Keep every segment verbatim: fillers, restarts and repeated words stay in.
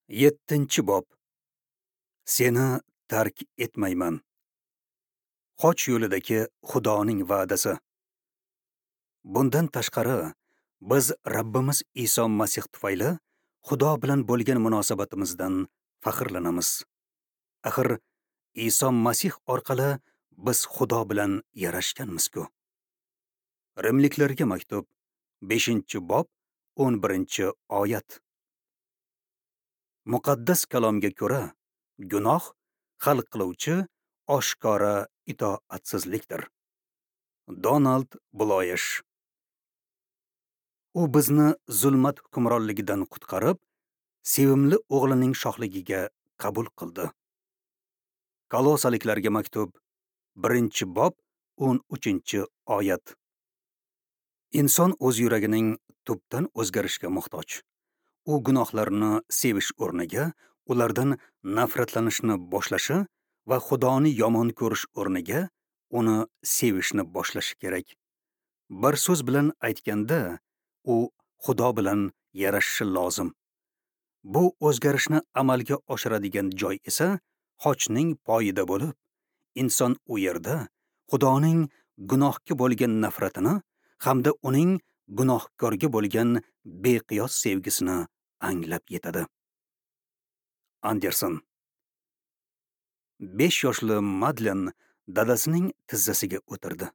Yettinchi bob. Seni tark etmayman. Xoch yo'lidagi Xudoning va'dasi. Bundan tashqari, biz Rabbimiz Iso Masih tufayli Xudo bilan bo'lgan munosabatimizdan faxrlanamiz. Axir Iso Masih orqali biz Xudo bilan yarashganmiz-ku. Rimliklarga maktub, beshinchi bob, o'n birinchi oyat. Muqaddas kalomga ko'ra, gunoh hal qiluvchi oshkora itoatsizlikdir. Donald Bloyesh. U bizni zulmat hukmronligidan qutqarib, sevimli o'g'lining shohligiga qabul qildi. Kolosaliklarga maktub, birinchi bob, o'n uchinchi oyat. Inson o'z yuragining tubdan o'zgarishga muhtoj. U gunohlarni sevish o'rniga ulardan nafratlanishni boshlashi va Xudoni yomon ko'rish o'rniga uni sevishni boshlashi kerak. Bir so'z bilan aytganda, u Xudo bilan yarashishi lozim. Bu o'zgarishni amalga oshiradigan joy esa xochning poyida bo'lib, inson u yerda Xudoning gunohga bo'lgan nafratini hamda uning gunohkorga bo'lgan beqiyos sevgisini anglab yetadi. Anderson. Besh yoshli Madlen dadasining tizzasiga o'tirdi.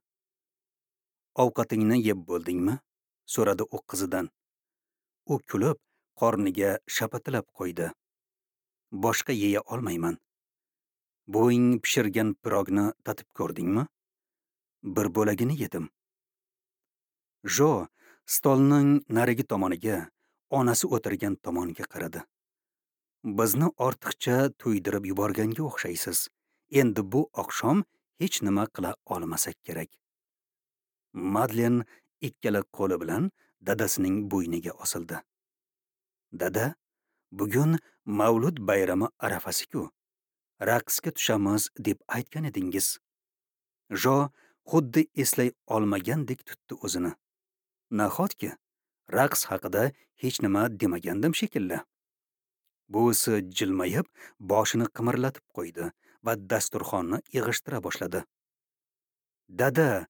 Ovqatingni yeb bo'ldingmi? So'radi u qizidan. U kulib, qorniga shapatilab qo'ydi. Boshqa yeya olmayman. Buving pishirgan pirogni tatib ko'rdingmi? Bir bo'lagini yedim. Jo stolning narigi tomoniga, onasi o'tirgan tomonga qaradi. Bizni ortiqcha to'ydirib yuborganga o'xshaysiz. Endi bu oqshom hech nima qila olmasak kerak. Madlen ikkala qo'li bilan dadasining bo'yniga osildi. Dada, bugun Mavlud bayrami arafasi-ku. Raqsga tushamiz deb aytgan edingiz. Jo xuddi eslay olmagandek tutdi o'zini. Nahotki, raqs haqida hech nima demagandim shekilli. Buvisi jilmayib, boshini qimirlatib qo'ydi va dasturxonni yig'ishtira boshladi. Dada,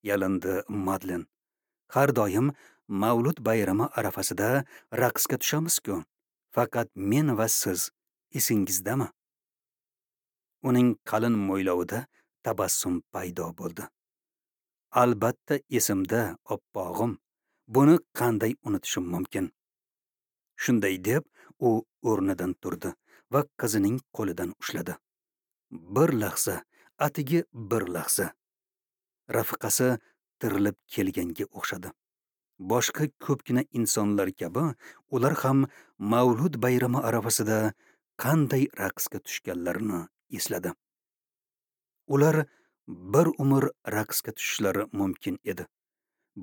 yalindi Madlen, har doim Mavlud bayrami arafasida raqsga tushamiz-ku. Faqat men va siz, esingizdami? Uning qalin mo'ylovida tabassum paydo bo'ldi. Albatta esimda, oppog'im. Buni qanday unutishim mumkin? Shunday deb u o'rnidan turdi va qizining qo'lidan ushladi. Bir lahza, atigi bir lahza. Rafiqasi tirilib kelganga o'xshadi. Boshqa ko'pgina insonlar kabi ular ham Mavlud bayrami arafasida qanday raqsga tushganlarini esladi. Ular bir umr raqsga tushishlari mumkin edi.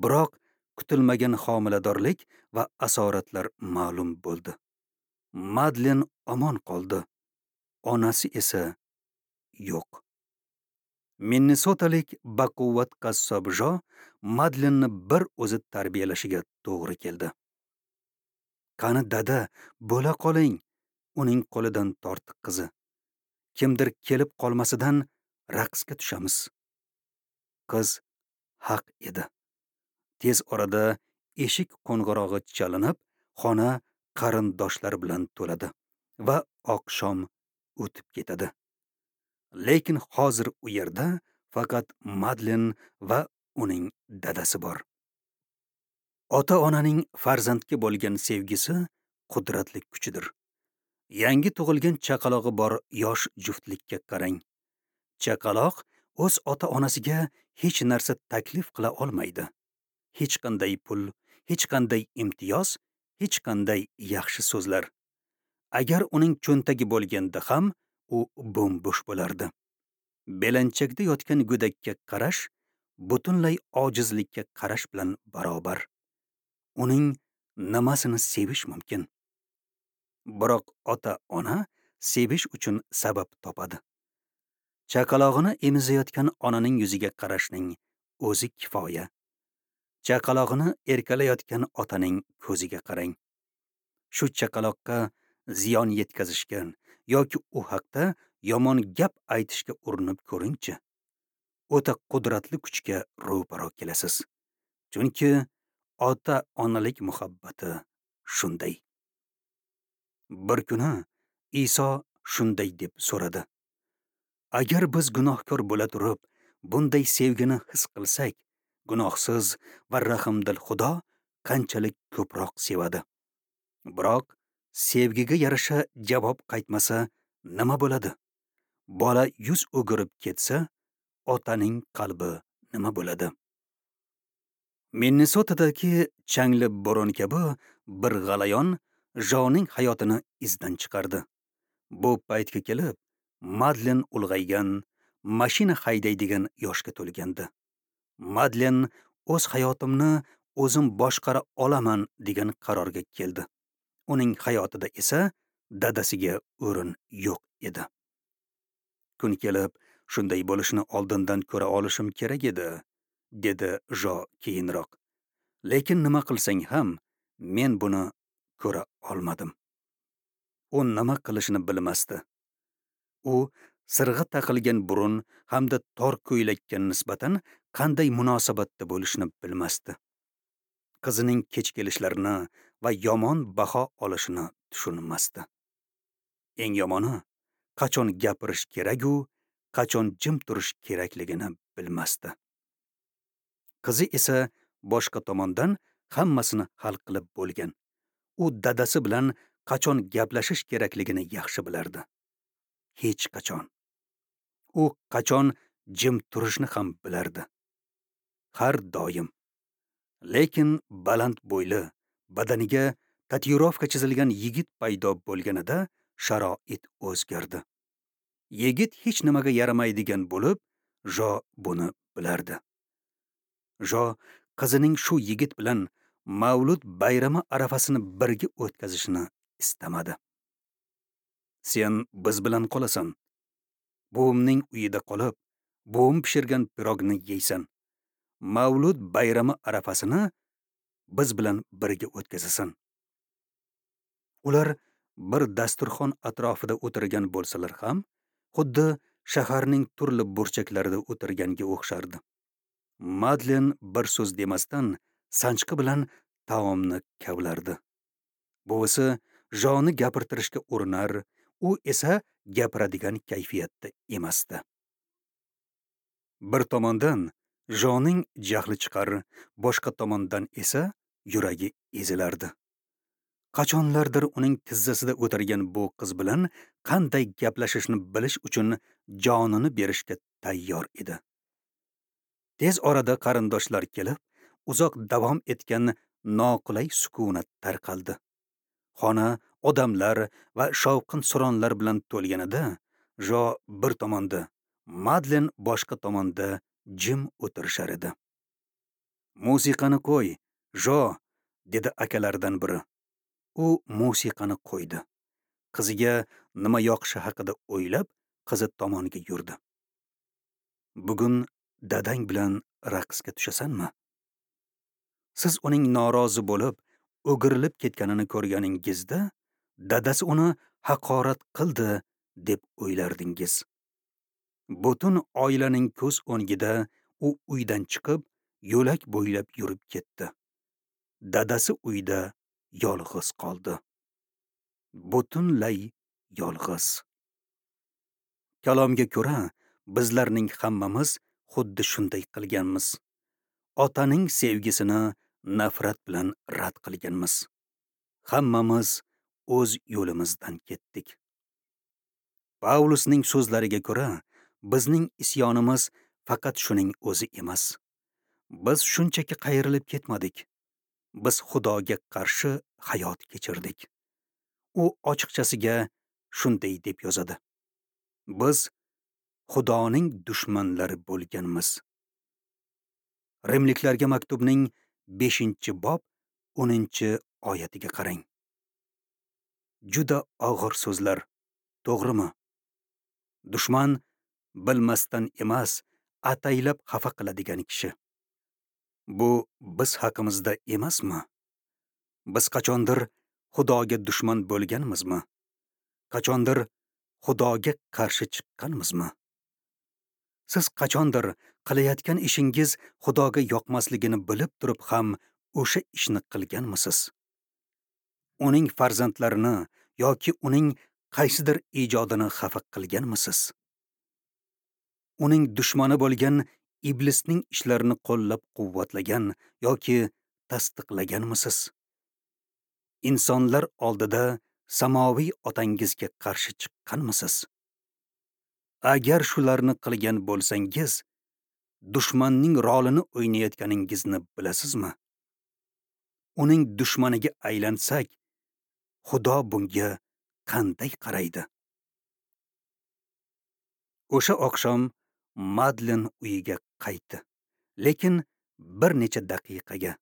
Biroq kutilmagan homiladorlik va asoratlar ma'lum bo'ldi. Madlen omon qoldi. Onasi esa yo'q. Minnesotalik baquvvat qassob Jo Madlenni bir o'zi tarbiyalashiga to'g'ri keldi. Qani dada, bo'la qoling, uning qo'lidan tortdi qizi. Kimdir kelib qolmasidan raqsga tushamiz. Qiz haq edi. Tez orada eshik qo'ng'irog'i chalinib, xona qarindoshlar bilan to'ladi va oqshom o'tib ketadi. Lekin hozir u yerda faqat Madlen va uning dadasi bor. Ota-onaning farzandga bo'lgan sevgisi qudratli kuchdir. Yangi tug'ilgan chaqalog'i bor yosh juftlikka qarang. Chaqaloq o'z ota-onasiga hech narsa taklif qila olmaydi. Hech qanday pul, hech qanday imtiyoz, hech qanday yaxshi so'zlar. Agar uning cho'ntagi bo'lganda ham u bo'm-bo'sh bo'lardi. Belanchakda yotgan go'dakka qarash butunlay ojizlikka qarash bilan barobar. Uning nimasini sevish mumkin? Biroq ota-ona sevish uchun sabab topadi. Chaqalog'ini emizayotgan onaning yuziga qarashning o'zi kifoya. Chaqalog'ini erkalayotgan otaning ko'ziga qarang. Shu chaqaloqqa ziyon yetkazishga yoki u haqda yomon gap aytishga urinib ko'ringchi. O'ta qudratli kuchga ro'paro kelasiz. Chunki ota-onalik muhabbati shunday. Bir kuni Iso shunday deb so'radi: agar biz gunohkor bo'la turib, bunday sevgini his qilsak, gunohsiz va rahimdil Xudo qanchalik ko'proq sevadi. Biroq sevgiga yarasha javob qaytmasa nima bo'ladi? Bola yuz o'girib ketsa, otaning qalbi nima bo'ladi? Minnesotadagi changli bo'ron kabi bir g'alayon Joning hayotini izdan chiqardi. Bu paytga kelib, Madlen ulg'aygan, mashina haydaydigan yoshga to'lgandi. Madlen o'z hayotimni o'zim boshqara olaman degan qarorga keldi. Uning hayotida esa dadasiga o'rin yo'q edi. Kun kelib, shunday bo'lishini oldindan ko'ra olishim kerak edi, dedi Jo keyinroq. Lekin nima qilsang ham, men buni ko'ra olmadim. U nima qilishini bilmasdi. U sirg'i taqilgan burun hamda tor ko'ylakka nisbatan qanday munosabatda bo'lishini bilmasdi. Qizining kech kelishlarini va yomon baho olishini tushunmasdi. Eng yomoni, qachon gapirish kerak-u, qachon jim turish kerakligini bilmasdi. Qizi esa boshqa tomondan hammasini hal qilib bo'lgan. U dadasi bilan qachon gaplashish kerakligini yaxshi bilardi. Hech qachon. U qachon jim turishni ham bilardi. Har doim. Lekin baland bo'yli, badaniga tatuirovka chizilgan yigit paydo bo'lganida sharoit o'zgardi. Yigit hech nimaga yaramaydigan bo'lib, Jo buni bilardi. Jo qizining shu yigit bilan Mavlud bayrami arafasini birga o'tkazishini istamadi. Sen biz bilan qolasan. Buvimning uyida qolib, buvim pishirgan pirogni yeysan. Mavlud bayrami arafasini biz bilan birga o'tkazasan. Ular bir dasturxon atrofida o'tirgan bo'lsalar ham, xuddi shaharning turli burchaklarida o'tirganga o'xshardi. Madlen bir so'z demasdan sanchqi bilan taomni kavlardi. Buvisi Joni gapirtirishga urinar, u esa gapiradigan kayfiyatda emasdi. Bir tomondan Joning jahli chiqar, boshqa tomondan esa yuragi ezilardi. Qachonlardir uning tizzasida o'tirgan bu qiz bilan qanday gaplashishni bilish uchun jonini berishga tayyor edi. Tez orada qarindoshlar kelib, uzoq davom etgan noqulay sukunat tarqaldi. Xona odamlar va shovqin-suronlar bilan to'lganida, Jo bir tomonda, Madlen boshqa tomonda jim o'tirishar edi. "Musiqani qo'y, Jo", dedi akalaridan biri. U musiqani qo'ydi. Qiziga nima yoqishi haqida o'ylab, qizi tomonga yurdi. "Bugun dadang bilan raqsga tushasanmi?" Siz uning norozi bo'lib, o'girilib ketganini ko'rganingizda, dadasi uni haqorat qildi deb o'ylardingiz. Butun oilaning ko'z o'ngida u uydan chiqib, yo'lak bo'ylab yurib ketdi. Dadasi uyda yolg'iz qoldi. Butunlay yolg'iz. Kalomga ko'ra, bizlarning hammamiz xuddi shunday qilganmiz. Otaning sevgisini nafrat bilan rad qilganmiz. Hammamiz o'z yo'limizdan ketdik. Pavlusning so'zlariga ko'ra, bizning isyonimiz faqat shuning o'zi emas. Biz shunchaki qayrilib ketmadik. Biz Xudoga qarshi hayot kechirdik. U ochiqchasiga shunday deb yozadi: Biz Xudoning dushmanlari bo'lganmiz. Rimliklarga maktubning beshinchi bob o'ninchi oyatiga qarang. Juda og'ir so'zlar, to'g'rimi? Dushman bilmasdan emas, ataylab xafa qiladigan kishi. Bu biz haqimizda emasmi? Biz qachondir Xudoga dushman bo'lganmizmi? Qachondir Xudoga qarshi chiqqanmizmi? Siz qachondir qilayotgan ishingiz Xudoga yoqmasligini bilib turib ham o'sha ishni qilganmisiz? Uning farzandlarini yoki uning qaysidir ijodini xafa qilganmisiz? Uning dushmani bo'lgan iblisning ishlarini qo'llab-quvvatlagan yoki tasdiqlaganmisiz? Insonlar oldida samoviy otangizga qarshi chiqqanmisiz? Agar shularni qilgan bo'lsangiz, dushmanning rolini o'ynayotganingizni bilasizmi? Uning dushmaniga aylansak, Xudo bunga qanday qaraydi? O'sha oqshom Madlen uyiga qaytdi, lekin bir necha daqiqaga.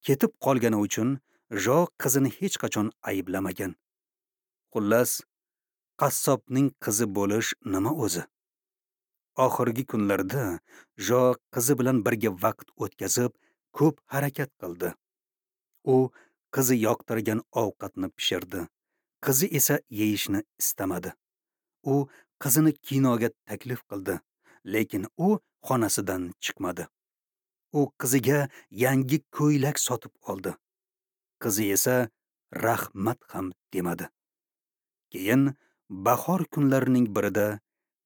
Ketib qolgani uchun Jo qizini hech qachon ayblamagan. Xullas, qassobning qizi bo'lish nima o'zi? Oxirgi kunlarda Jo qizi bilan birga vaqt o'tkazib, ko'p harakat qildi. U qizi yoqtirgan ovqatni pishirdi. Qizi esa yeyishni istamadi. U qizini kinoga taklif qildi, lekin u xonasidan chiqmadi. U qiziga yangi ko'ylak sotib oldi. Qizi esa rahmat ham demadi. Keyin bahor kunlarining birida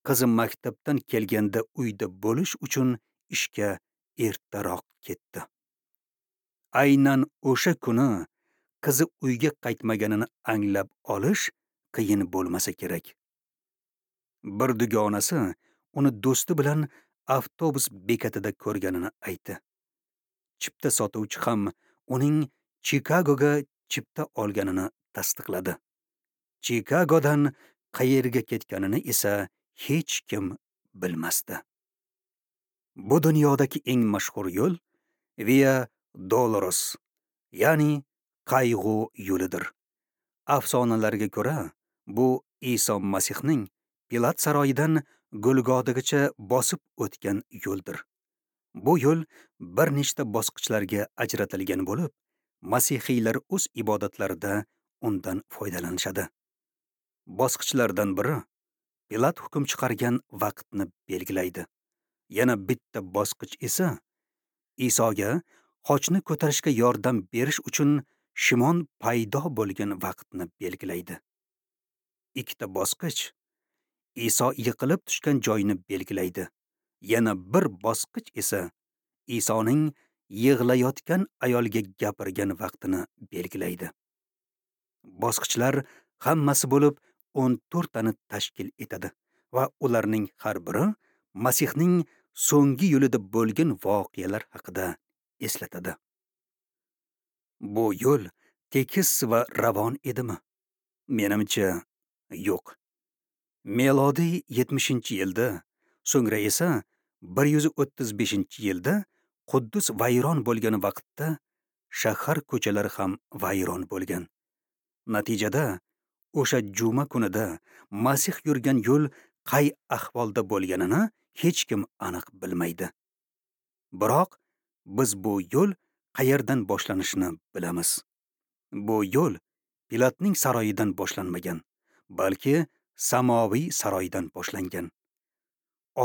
qizi maktabdan kelganda uyda bo'lish uchun ishga ertaroq ketdi. Aynan o'sha kuni qizi uyga qaytmaganini anglab olish qiyin bo'lmasa kerak. Bir dugonasi uni do'sti bilan avtobus bekatida ko'rganini aytdi. Chipta sotuvchi ham uning Chikagoga chipta olganini tasdiqladi. Chikagodan qayerga ketganini esa hech kim bilmasdi. Bu dunyodagi eng mashhur yo'l Via Dolores, ya'ni qayg'u yo'lidir. Afsonalarga ko'ra, bu Iso Masihning Pilat saroyidan Golgodagacha bosib o'tgan yo'ldir. Bu yo'l bir nechta bosqichlarga ajratilgan bo'lib, masihiylar o'z ibodatlarida undan foydalanishadi. Bosqichlardan biri Pilat hukm chiqargan vaqtni belgilaydi. Yana bitta bosqich esa Isoga xochni ko'tarishga yordam berish uchun Shimon paydo bo'lgan vaqtni belgilaydi. Ikkita bosqich Iso yiqilib tushgan joyni belgilaydi. Yana bir bosqich esa Isoning yig'layotgan ayolga gapirgan vaqtini belgilaydi. Bosqichlar hammasi bo'lib o'n to'rttani tashkil etadi va ularning har biri Masihning so'nggi yo'lida bo'lgan voqealar haqida eslatadi. Bu yo'l tekis va ravon edimi? Menimcha, yo'q. Melodiy yetmishinchi yilda, so'ngra esa bir yuz o'ttiz beshinchi yilda Quddus vayron bo'lgan vaqtda shahar ko'chalari ham vayron bo'lgan. Natijada o'sha juma kunida Masih yurgan yo'l qay ahvolda bo'lganini hech kim aniq bilmaydi. Biroq biz bu yo'l qayerdan boshlanishini bilamiz. Bu yo'l Pilatning saroyidan boshlanmagan, balki samoviy saroydan boshlangan.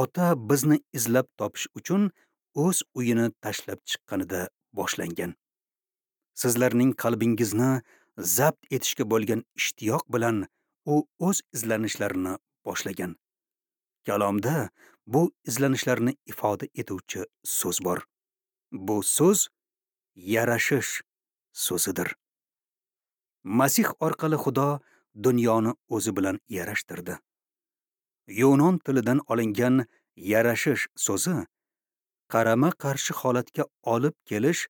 Ota bizni izlab topish uchun o'z uyini tashlab chiqqanida boshlangan. Sizlarning qalbingizni zabt etishga bo'lgan ishtiyoq bilan u o'z izlanishlarini boshlagan. Kalomda bu izlanishlarni ifoda etuvchi so'z bor. Bu so'z yarashish so'zidir. Masih orqali Xudo dunyoni o'zi bilan yarashtirdi. Yunon tilidan olingan yarashish so'zi qarama-qarshi holatga olib kelish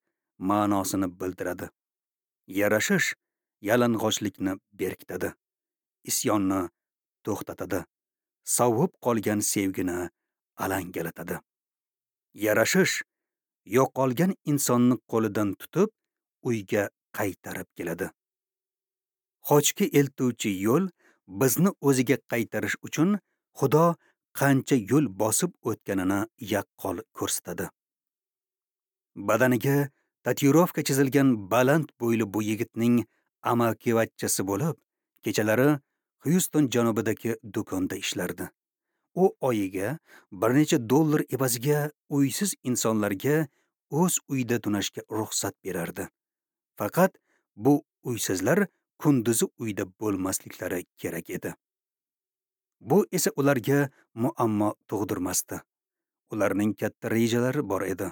ma'nosini bildiradi. Yarashish yalang'ochlikni berkitadi, isyonni to'xtatadi, sovib qolgan sevgini alangalatadi. Yarashish yo'qolgan insonni qo'lidan tutib uyga qaytarib keladi. Xochga eltuvchi yo'l bizni o'ziga qaytarish uchun Xudo qancha yo'l bosib o'tganini yaqqol ko'rsatadi. Badaniga tatuirovka chizilgan baland bo'yli bu yigitning amakivachchasi bo'lib, kechalari Xyuston janubidagi do'konda ishlardi. U oyiga bir necha dollar evaziga uysiz insonlarga o'z uyida tunashga ruxsat berardi. Faqat bu uysizlar kunduzi uyda bo'lmasliklari kerak edi. Bu esa ularga muammo tug'dirmasdi. Ularning katta rejalari bor edi.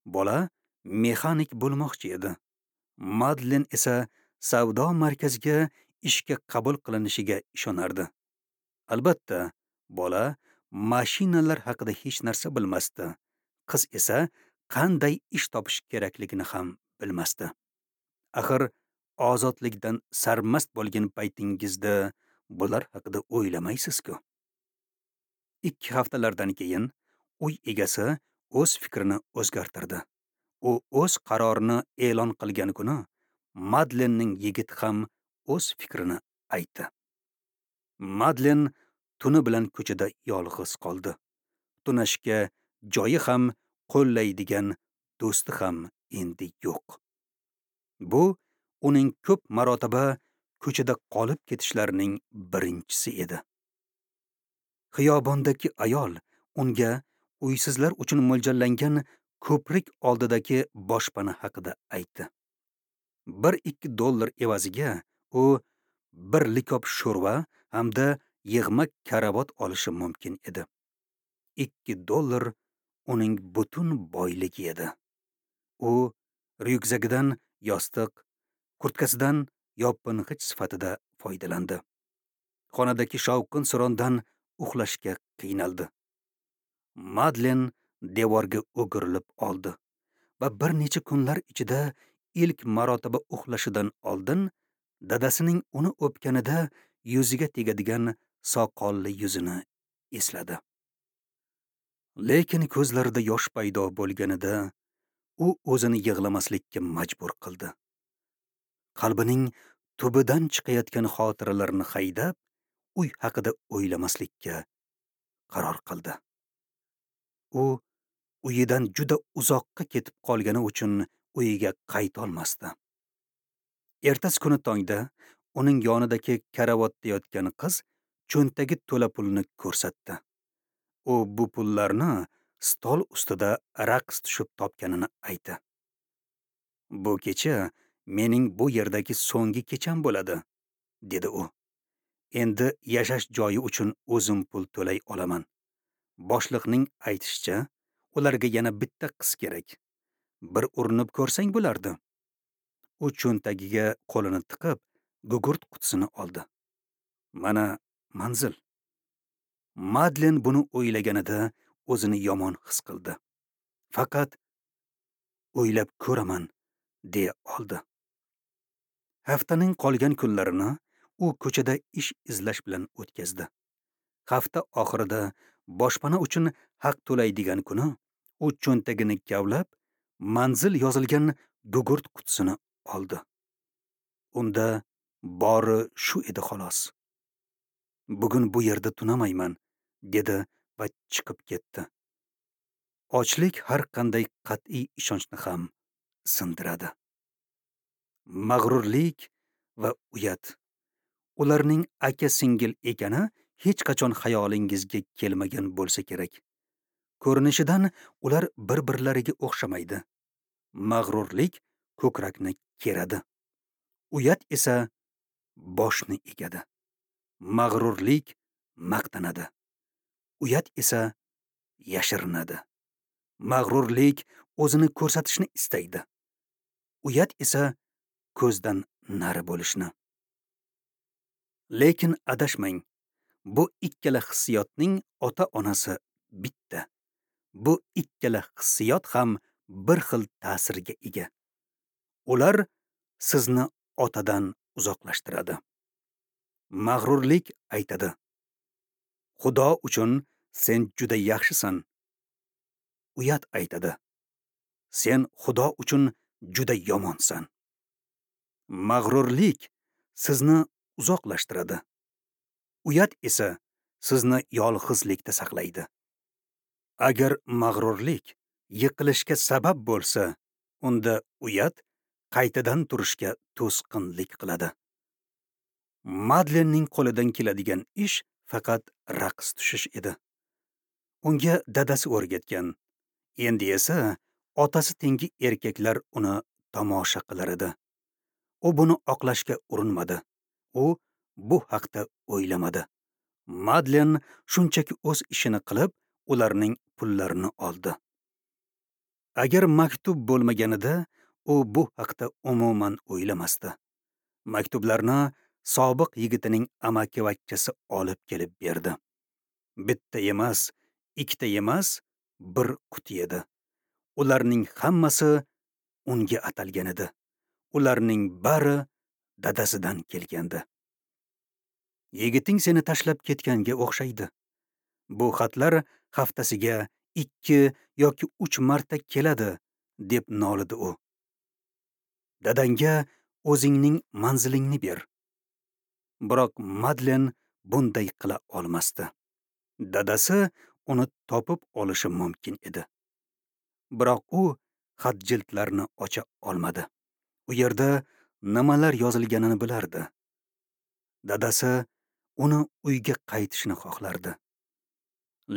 Bola mexanik bo'lmoqchi edi. Madlen esa savdo markaziga ishga qabul qilinishiga ishonardi. Albatta, bola mashinalar haqida hech narsa bilmasdi. Qiz esa qanday ish topish kerakligini ham bilmasdi. Axir ozodlikdan sarmast bo'lgan paytingizda bular haqida o'ylamaysiz-ku. Ikki haftalardan keyin uy egasi o'z fikrini o'zgartirdi. U o'z qarorini e'lon qilgan kuni Madlenning yigiti ham o'z fikrini aytdi. Madlen tuni bilan ko'chada yolg'iz qoldi. Tunashga joyi ham, qo'llaydigan do'sti ham endi yo'q. Bu uning ko'p marotaba ko'chada qolib ketishlarining birinchisi edi. Xiyobondagi ayol unga uysizlar uchun mo'ljallangan ko'prik oldidagi boshpana haqida aytdi. Bir ikki dollar evaziga u bir likop sho'rva hamda yig'ma karavot olishi mumkin edi. Ikki dollar uning butun boyligi edi. U ryukzagidan yostiq, kurtkasidan yoping'ich sifatida foydalandi. Xonadagi shovqin-surondan uxlashga qiynaldi. Madlen devorga o'girilib oldi va bir necha kunlar ichida ilk marotaba uxlashidan oldin dadasining uni o'pganida yuziga tegadigan soqolli yuzini esladi. Lekin ko'zlarida yosh paydo bo'lganida u o'zini yig'lamaslikka majbur qildi. Qalbining tubidan chiqayotgan xotiralarni haydab, uy haqida o'ylamaslikka qaror qildi. U uyidan juda uzoqqa ketib qolgani uchun uyiga qayta olmasdi. Ertasi kuni tongda uning yonidagi karavotda yotgan qiz cho'ntagi to'la pulni ko'rsatdi. U bu pullarni stol ustida raqs tushib topganini aytdi. Bu kecha mening bu yerdagi so'nggi kecham bo'ladi, dedi u. Endi yashash joyi uchun o'zim pul to'lay olaman. Boshliqning aytishicha, ularga yana bitta qiz kerak. Bir urinib ko'rsang bo'lardi. U cho'ntagiga qo'lini tiqib, gugurt qutisini oldi. Mana manzil. Madlen buni o'ylaganida o'zini yomon his qildi. Faqat o'ylab ko'raman deya oldi. Haftaning qolgan kunlarini u ko'chada ish izlash bilan o'tkazdi. Hafta oxirida boshpana uchun haq to'laydigan kuni u cho'ntagini kavlab, manzil yozilgan gugurt qutisini oldi. Unda bori shu edi xolos. Bugun bu yerda tunamayman, dedi va chiqib ketdi. Ochlik har qanday qat'iy ishonchni ham sindiradi. Mag'rurlik va uyat. Ularning aka-singil ekani hech qachon xayolingizga kelmagan bo'lsa kerak. Ko'rinishidan ular bir-birlariga o'xshamaydi. Mag'rurlik ko'krakni keradi. Uyat esa boshni egadi. Mag'rurlik maqtanadi. Uyat esa yashirinadi. Mag'rurlik o'zini ko'rsatishni istaydi. Uyat esa ko'zdan nari bo'lishni. Lekin adashmang. Bu ikkala hissiyotning ota-onasi bitta. Bu ikkala hissiyot ham bir xil ta'sirga ega. Ular sizni otadan uzoqlashtiradi. Mag'rurlik aytadi: Xudo uchun sen juda yaxshisan. Uyat aytadi: Sen Xudo uchun juda yomonsan. Mag'rurlik sizni uzoqlashtiradi. Uyat esa sizni yolg'izlikda saqlaydi. Agar mag'rurlik yiqilishga sabab bo'lsa, unda uyat qaytadan turishga to'sqinlik qiladi. Madlenning qo'lidan keladigan ish faqat raqs tushish edi. Unga dadasi o'rgatgan. Endi esa otasi tengi erkaklar uni tomosha qilar edi. U buni oqlashga urinmadi. U bu haqda o'ylamadi. Madlen shunchaki o'z ishini qilib, ularning pullarini oldi. Agar maktub bo'lmaganida, u bu haqda umuman o'ylamasdi. Maktublarni sobiq yigitining amakivachchasi olib kelib berdi. Bitta emas, ikkita emas, bir quti edi. Ularning hammasi unga atalgan edi. Ularning bari dadasidan kelgandi. Yigiting seni tashlab ketganga o'xshaydi. Bu xatlar haftasiga ikki yoki uch marta keladi, deb nolidi u. Dadangga o'zingning manzilingni ber. Biroq Madlen bunday qila olmasdi. Dadasi uni topib olishi mumkin edi. Biroq u xat jildlarini ocha olmadi. U yerda nimalar yozilganini bilardi. Dadasi uni uyga qaytishini xohlardi.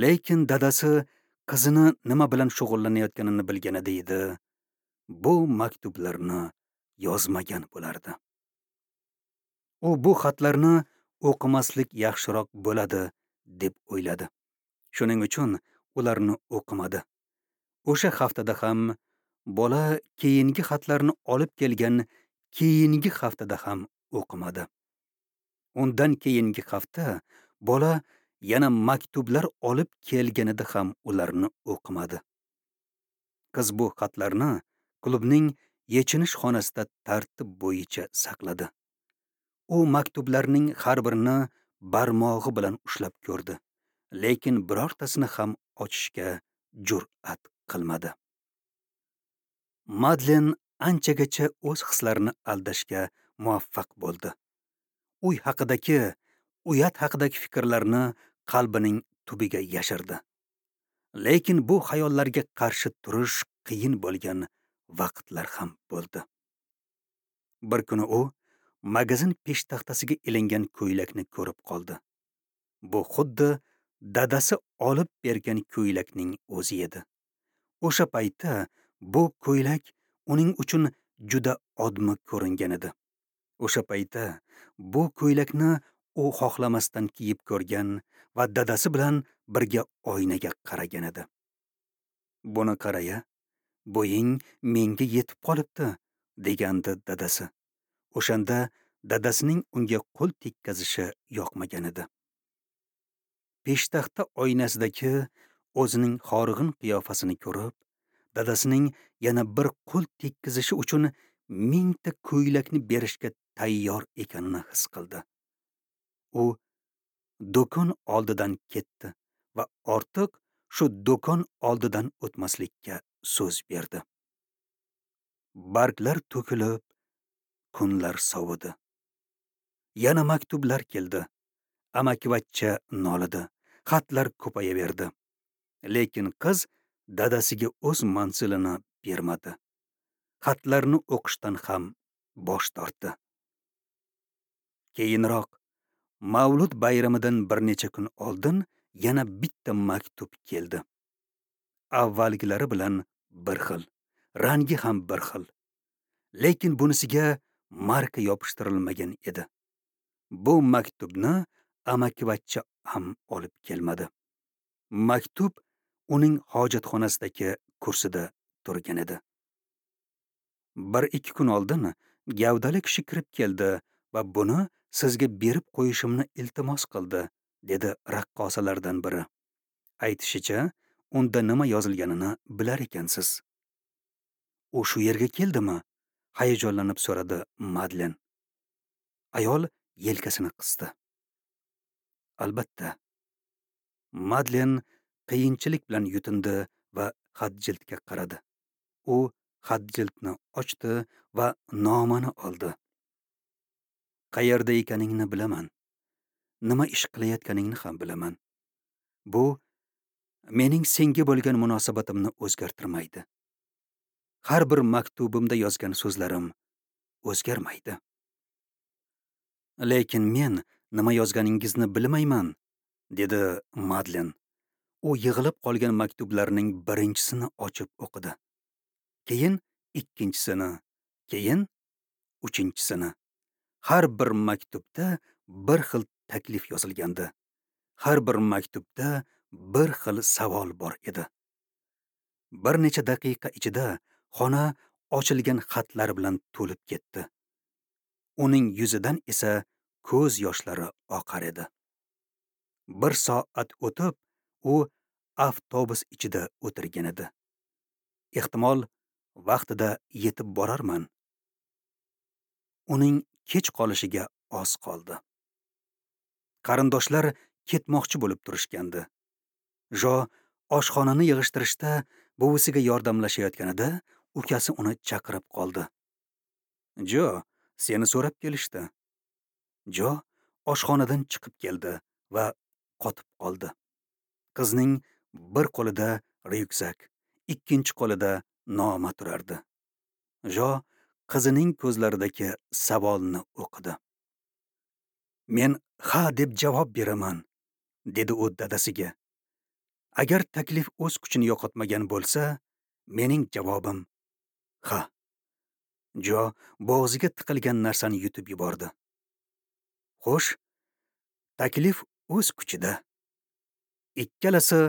Lekin dadasi qizini nima bilan shug'ullanayotganini bilganida edi, bu maktublarni yozmagan bo'lardi. U bu xatlarni o'qimaslik yaxshiroq bo'ladi, deb o'yladi. Shuning uchun ularni o'qimadi. O'sha haftada ham bola keyingi xatlarni olib kelgan keyingi haftada ham o'qimadi. Undan keyingi hafta bola yana maktublar olib kelganida ham ularni o'qimadi. Qiz bu xatlarni klubning yechinish xonasida tartib bo'yicha saqladi. U maktublarning har birini barmog'i bilan ushlab ko'rdi, lekin birortasini ham ochishga jur'at qilmadi. Madlen anchagacha o'z hislarini aldashga muvaffaq bo'ldi. Uy haqidagi, uyat haqidagi fikrlarni qalbining tubiga yashirdi. Lekin bu xayollarga qarshi turish qiyin bo'lgan vaqtlar ham bo'ldi. Bir kuni u magazin peshtaxtasiga ilingan ko'ylakni ko'rib qoldi. Bu xuddi dadasi olib bergan ko'ylakning o'zi edi. O'sha paytda bu ko'ylak uning uchun juda odmi ko'ringan edi. O'sha paytda bu ko'ylakni u xohlamasdan kiyib ko'rgan va dadasi bilan birga oynaga qaragan edi. Buni qaraya, bo'ying menga yetib qolibdi, degandi dadasi. O'shanda dadasining unga qo'l tekkazishi yoqmagan edi. Peshtaxta oynasidagi o'zining horg'in qiyofasini ko'rib, dadasining yana bir qo'l tekkizishi uchun mingta ko'ylakni berishga tayyor ekanini his qildi. U do'kon oldidan ketdi va ortiq shu do'kon oldidan o'tmaslikka so'z berdi. Barglar to'kilib, kunlar sovidi. Yana maktublar keldi. Amakivachcha nolidi. Xatlar ko'payaverdi. Lekin qiz dadasiga o'z manzilini bermadi. Xatlarni o'qishdan ham bosh tortdi. Keyinroq Mavlud bayramidan bir necha kun oldin yana bitta maktub keldi. Avvalgilari bilan bir xil, rangi ham bir xil. Lekin bunisiga marka yopishtirilmagan edi. Bu maktubni amakivachcha ham olib kelmadi. Maktub uning hojatxonasidagi kursida turgan edi. Bir ikki kun oldin gavdali kishi kirib keldi va buni sizga berib qo'yishimni iltimos qildi, dedi raqqosalardan biri. Aytishicha, unda nima yozilganini bilar ekansiz. U shu yerga keldimi? Hayajonlanib so'radi Madlen. Ayol yelkasini qisdi. Albatta. Madlen qiyinchilik bilan yutindi va xat jildga qaradi. U xat jildni ochdi va nomani oldi. Qayerda ekaningni bilaman. Nima ish qilayotganingni ham bilaman. Bu mening senga bo'lgan munosabatimni o'zgartirmaydi. Har bir maktubimda yozgan so'zlarim o'zgarmaydi. Lekin men nima yozganingizni bilmayman, dedi Madlen. U yig'ilib qolgan maktublarning birinchisini ochib o'qidi. Keyin ikkinchisini, keyin uchinchisini. Har bir maktubda bir xil taklif yozilgandi. Har bir maktubda bir xil savol bor edi. Bir necha daqiqa ichida xona ochilgan xatlar bilan to'lib ketdi. Uning yuzidan esa ko'z yoshlari oqar edi. Bir soat o'tib, u avtobus ichida o'tirgan edi. Ehtimol, vaqtida yetib borarman. Uning kech qolishiga oz qoldi. Qarindoshlar ketmoqchi bo'lib turishgandi. Jo oshxonani yig'ishtirishda buvisiga yordamlashayotganida ukasi uni chaqirib qoldi. Jo, seni so'rab kelishdi. Jo oshxonadan chiqib keldi va qotib qoldi. Qizning bir qo'lida ryukzak, ikkinchi qo'lida noma turardi. Jo qizining ko'zlaridagi savolni o'qidi. Men ha deb javob beraman, dedi u dadasiga. Agar taklif o'z kuchini yo'qotmagan bo'lsa, mening javobim ha. Jo bo'g'ziga tiqilgan narsani yutib yubordi. Xo'sh, taklif o'z kuchida. Ikkalasi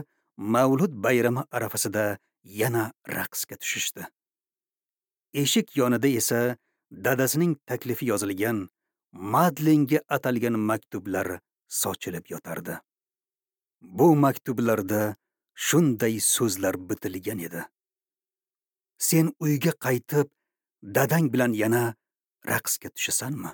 Mavlud bayrami arafasida yana raqsga tushishdi. Eshik yonida esa dadasining taklifi yozilgan Madlenga atalgan maktublar sochilib yotardi. Bu maktublarda shunday so'zlar bitilgan edi. Sen uyga qaytib, dadang bilan yana raqsga tushasanmi?